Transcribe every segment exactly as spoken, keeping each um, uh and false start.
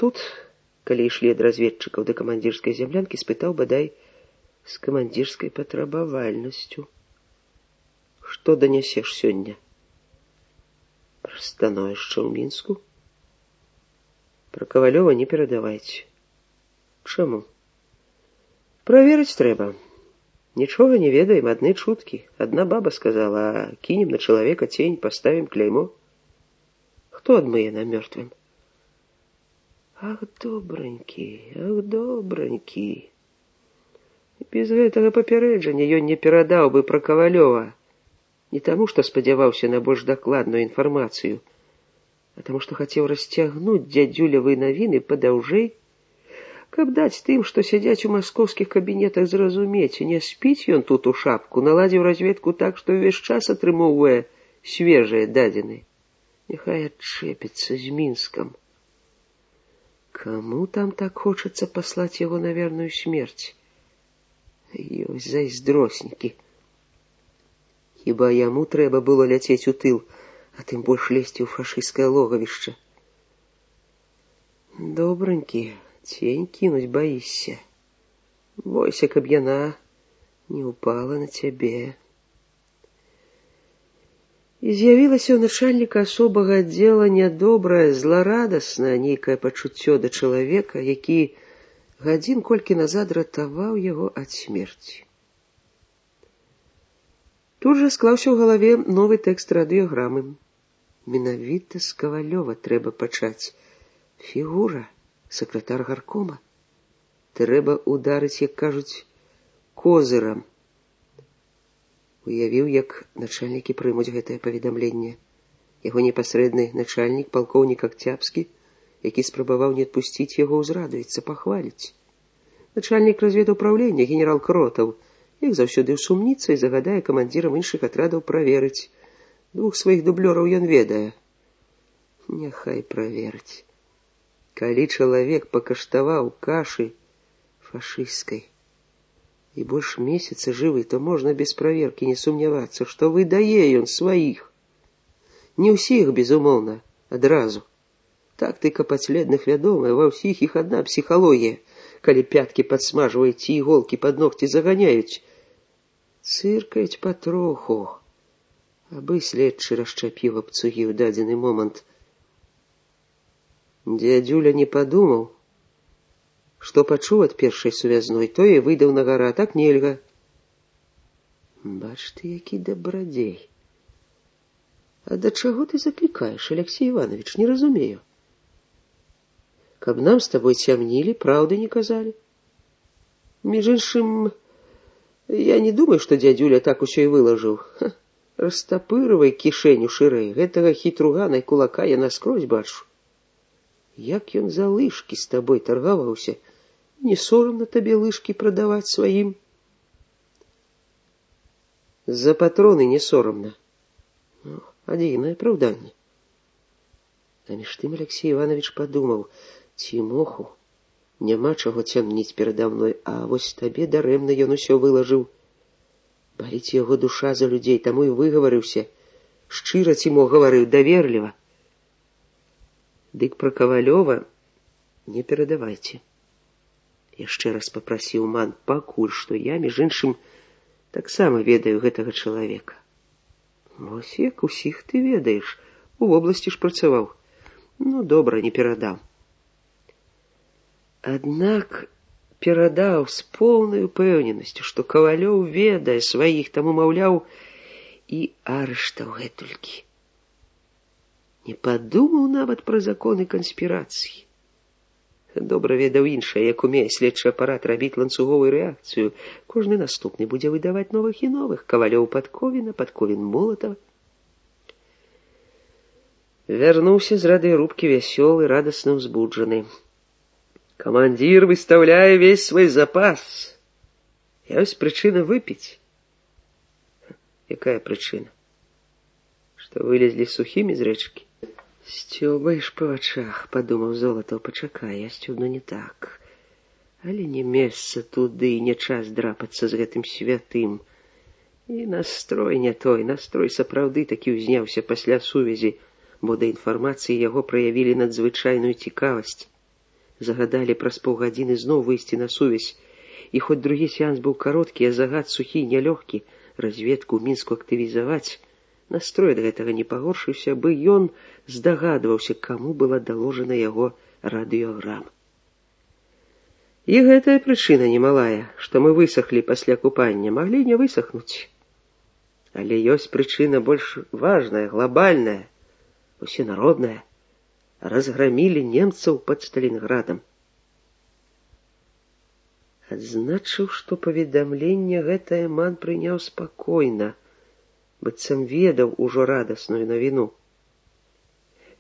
тут, калі ішлі ад разведчыкаў да камандзірскай зямлянкі, спытаў бадай з камандзірскай патрабавальнасцю. Што данясеш сёння? Пра становішча ў Мінску? Пра Кавалёва не перадавайце. Чаму? Праверыць трэба. Нічога не ведаем, адны чуткі. Адна баба сказала, а кінем на чалавека цень, паставім кляймо. Хто адмые нам мёртвым? Ах, добранькі, ах, добранькі. Без гэтага папярэджання ён не перадаў бы пра Кавалёва. Не таму, што спадзяваўся на больш дакладную інфармацыю, а таму, што хацеў расцягнуць дзядзюлевы навіны падаўжэй, каб даць тым, што сядзяць у маскоўскіх кабінетах, зразумець, не спіць ён тут у шапку, наладзіў разведку так, што ўвесь час атрымоўвае свежыя дадзены. Няхай адчэпіцца з Мінскам. Каму там так хочацца паслаць яго на верную смерць? Ёсць зайздроснікі. Хіба яму трэба было ляцець у тыл, а тым больш лезці ў фашысцкае логавішча. Добранькі, цень кінуць баішся. Бойся, каб яна не упала на цябе. І з'явілася ў начальніка асобага аддзела нядобрае, зларадаснае нейкае пачуццё да чалавека, які гадзін колькі назад ратаваў яго ад смерці. Тут жа склаўся ў галаве новы тэкст радыёграмы. Менавіта з Кавалёва трэба пачаць. Фігура, сакратар гаркома. Трэба ударыць, як кажуць, козырам. Уявіў, як начальнікі прымуць гэтае паведамленне. Яго непасрэдны начальнік, палкоўнік Акцябскі, які спрабаваў не адпусціць яго, узрадуецца, пахваліць. Начальнік разведуправлення, генерал Кротаў, як заўсёды ўсумніцца і загадае камандзірам іншых атрадаў праверыць. Двух сваіх дублёраў ён ведае. Няхай праверыць. Калі чалавек пакаштаваў кашы фашысцкай і больш месяца жывы, то можна без праверкі не сумнявацца, што выдае ён сваіх. Не ўсіх, безумоўна, адразу. Тактыка падследных вядомая, ва ўсіх іх адна псіхалогія. Калі пяткі падсмажваюць ці іголкі пад ногці заганяюць, цыркаюць патроху, абы следчы расчапіў абцугі ў дадзены момант. Дзядзюля не падумаў, што пачуў ад першай сувязной, тое і выдаў на гара, так нельга. Бач ты, які дабрадзей. А да чаго ты заклікаеш, Алексей Иванович, не разумею. Каб нам з табой цямнілі, праўды не казалі. Між іншым, я не думаю, што дзядзюля так усё і вылажыў. Ха, растапырывай кішэню шырэй, гэтага хітругана і кулака я наскрозь бачу. Як ён за лыжкі з табой таргаваўся, не сорамна табе лыжкі прадаваць сваім? За патроны не сорамна. Ну, адзінае апраўданне. А між тым Алексей Иванович падумаў, Цімоху, няма чаго цямніць перада мной, а вось табе дарэмна ён усё вылажыў. Баліць яго душа за людзей, таму і выгаварыўся. Шчыра Цімох гаварыў, даверліва. Дык пра Кавалёва не перадавайце. Яшчэ раз папрасіў ман, пакуль што я, між іншым, таксама ведаю гэтага чалавека. Вось як усіх ты ведаеш, у вобласці ж працаваў. Ну, добра, не перадам. Аднак перадаў з поўнай упэўненасцю, што Кавалёў ведае сваіх, таму, маўляў, і арыштаў гэтулькі. Не падумаў нават пра законы канспірацыі. Добра ведаў іншае, як умее следчы апарат рабіць ланцуговую рэакцыю. Кожны наступны будзе выдаваць новых і новых. Кавалёў Падковіна, Падковін Молатава. Вярнуўся з радыёрубкі вясёлы, радасна ўзбуджаны. Камандзір выстаўляе весь свой запас. Ёсць прычына выпіць. Якая прычына? Што вылезлі сухімі з рэчкі? Сцёбаеш па вачах, падумаў Золатаў, пачакай, я сцёбну не так. Але не месца туды, не час драпацца з гэтым святым. І настрой не той, настрой сапраўды такі ўзняўся пасля сувязі, бо да інфармацыі яго праявілі надзвычайную цікавасць. Загадалі праз паўгадзіны зноў выйсці на сувязь, і хоць другі сеанс быў кароткі, а загад сухі і нялёгкі разведку ў Мінску актывізаваць, настрой ад гэтага не пагоршыўся, бы ён здагадваўся, каму была даложана яго радыёграма. І гэтая прычына немалая, што мы высохлі пасля купання, маглі не высохнуць. Але ёсць прычына больш важная, глобальная, усенародная. Разгромілі немцаў пад Сталінградам. Адзначыў, што паведамленне гэтае ман прыняў спакойна, быццам ведаў ужо радасную навіну.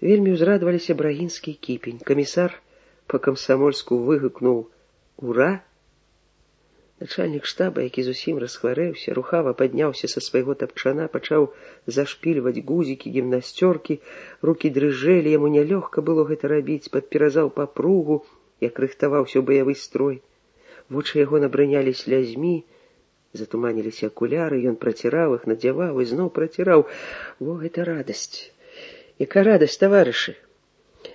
Вельмі ўзрадаваліся Брагінскі і Кіпень. Камісар па-камсамольску выгукнуў «Ура!». Начальнік штаба, які зусім расхварэўся, рухава падняўся са свайго тапчана, пачаў зашпільваць гузікі, гімнасцёркі, рукі дрыжэлі, яму нялёгка было гэта рабіць, падперазаў папругу, як рыхтаваўся ў баявы строй. Вочы яго набрынялі слязьмі, затуманіліся акуляры, ён праціраў іх, надзяваў і зноў праціраў. Во, гэта радасць! Яка радасць, таварышы!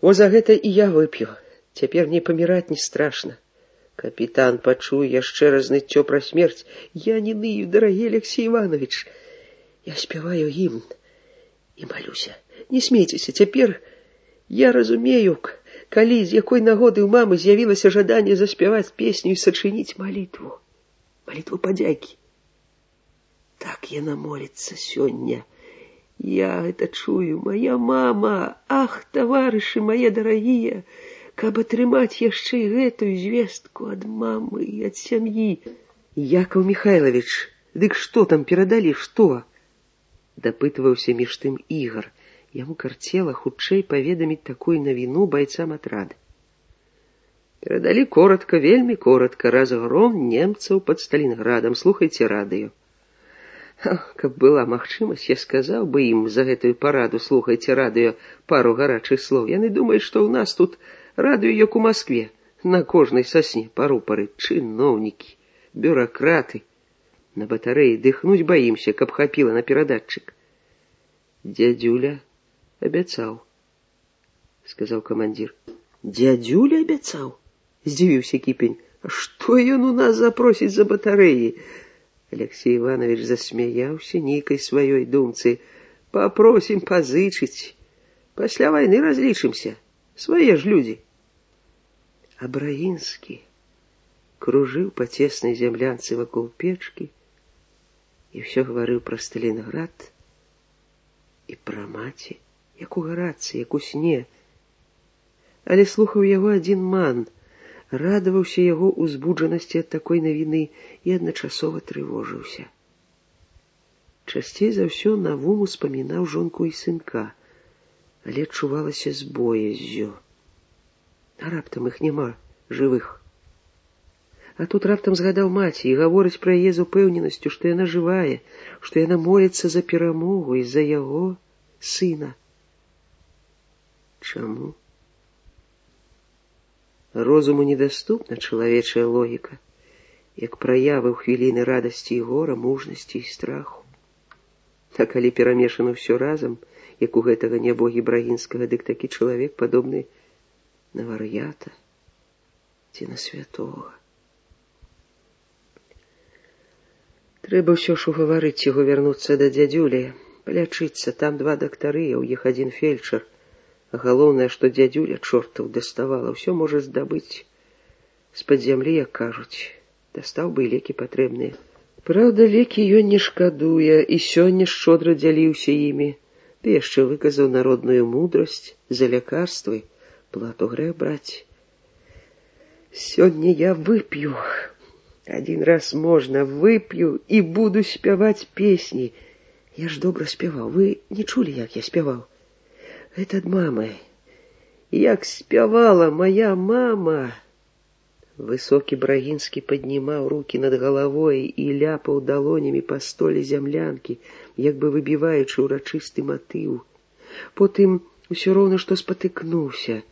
Во за гэта і я вып'ю. Цяпер мне паміраць не страшна. Капітан пачуе яшчэ раз ныццё пра смерць. Я не ную, дарагі Алексей Иванович. Я спяваю гімн і малюся. Не смейцеся, цяпер я разумею, калі з якой нагоды ў мамы з'явілася жаданне заспяваць песню і сачыніць малітву. Малітву падзякі. Так яна моліцца сёння. Я гэта чую. Моя мама, ах, таварышы мае дарагія, каб атрымаць яшчэ і гэтую звестку ад мамы і ад сям'і. Якаў Михайлович, дык што там перадалі, што? Дапытваўся між тым Ігар. Яму карцела хутчэй паведаміць такую навіну байцам атрада. Перадалі коротка, вельмі коротка, разгром немцаў пад Сталінградам. Слухайце радыё. Каб была магчымасць, я сказаў бы ім за гэтую параду, слухайце радыё, пару гарачых слоў. Яны думаюць, што ў нас тут радыё, як у Маскве, на кожнай сасне па рупары, чыноўнікі, бюракраты. На батарэі дыхнуць баімся, каб хапіла на перадатчык. Дядюля абяцаў, сказаў камандзір. Дядюля абяцаў? Здзівіўся Кіпень. А што ён у нас запросіць за батарэі? Алексей Иванович засмяяўся нейкай сваёй думцы. Папросім пазычыць. Пасля вайны разлічымся. Свае ж людзі. А Брагінскі кружыў па цеснай зямлянцы вакол печкі і ўсё гаварыў пра Сталінград і пра маці, як у гарацы, як у сне. Але слухаў яго адзін ман, радаваўся яго узбуджанасці ад такой навіны і адначасова трывожыўся. Часцей за ўсё навум успамінаў жонку і сынка, але адчувалася з бояззю. А раптам іх няма жывых. А тут раптам згадаў маці і гаворыць пра яе з упэўненасцю, што яна жывая, што яна моліцца за перамогу і за яго сына. Чаму? Розуму недаступна чалавечая логіка, як праявы ў хвіліны радасці і гора, мужнасці і страху. А калі перамешана ўсё разам, як у гэтага нябогі Брагінскага, дык такі чалавек падобны на вар'ята ці на святога. Трэба ўсё ж угаварыць яго вярнуцца да дзядзюлі, палячыцца. Там два дактары, а ў іх адзін фельчар. А галоўнае, што дзядзюля чортаў даставала, ўсё можа здабыць з-пад зямлі, як кажуць. Дастаў бы і лекі патрэбныя. Праўда, лекі ён не шкадуе, і сёння шчодра дзяліўся імі. Ды яшчэ выказаў народную мудрасць, за лякарствы плату грэх браць. Сёння я вып'ю. Адзін раз можна, вып'ю і буду спяваць песні. Я ж добра спяваў. Вы не чулі, як я спяваў? Гэта ад мамы. Як спявала моя мама. Высокі Брагінскі паднімаў рукі над галавой і ляпаў далонямі па столе зямлянкі, як бы выбіваючы ўрачысты матыў. Потым усё роўна што спатыкнуўся.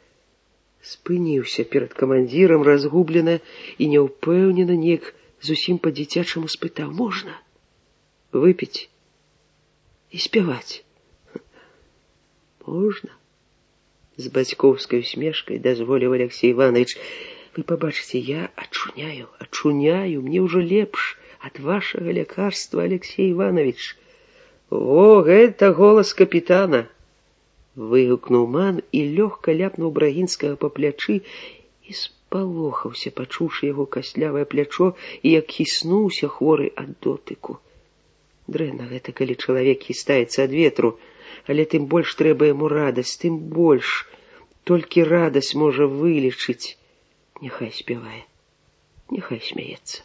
Спыніўся перад камандзірам разгублена і няўпэўнена, неяк зусім па-дзіцячаму спытаў: можна выпіць і спяваць? Можна, З бацькоўскай усмешкай дазволіў Алексей Иванович. Вы побачыце, я ачуняю, ачуняю, мне ўжо лепш ад вашага лякарства, Алексей Иванович. О, гэта голас капітана! Выгукнуў ман і лёгка ляпнуў Брагінскага па плячы і спалохаўся, пачуўшы яго каслявае плячо, і як хіснуўся хворы ад дотыку. Дрэнна гэта, калі чалавек хістаецца ад ветру, але тым больш трэба яму радасць, тым больш. Толькі радасць можа вылечыць. Няхай спявае, няхай смяецца.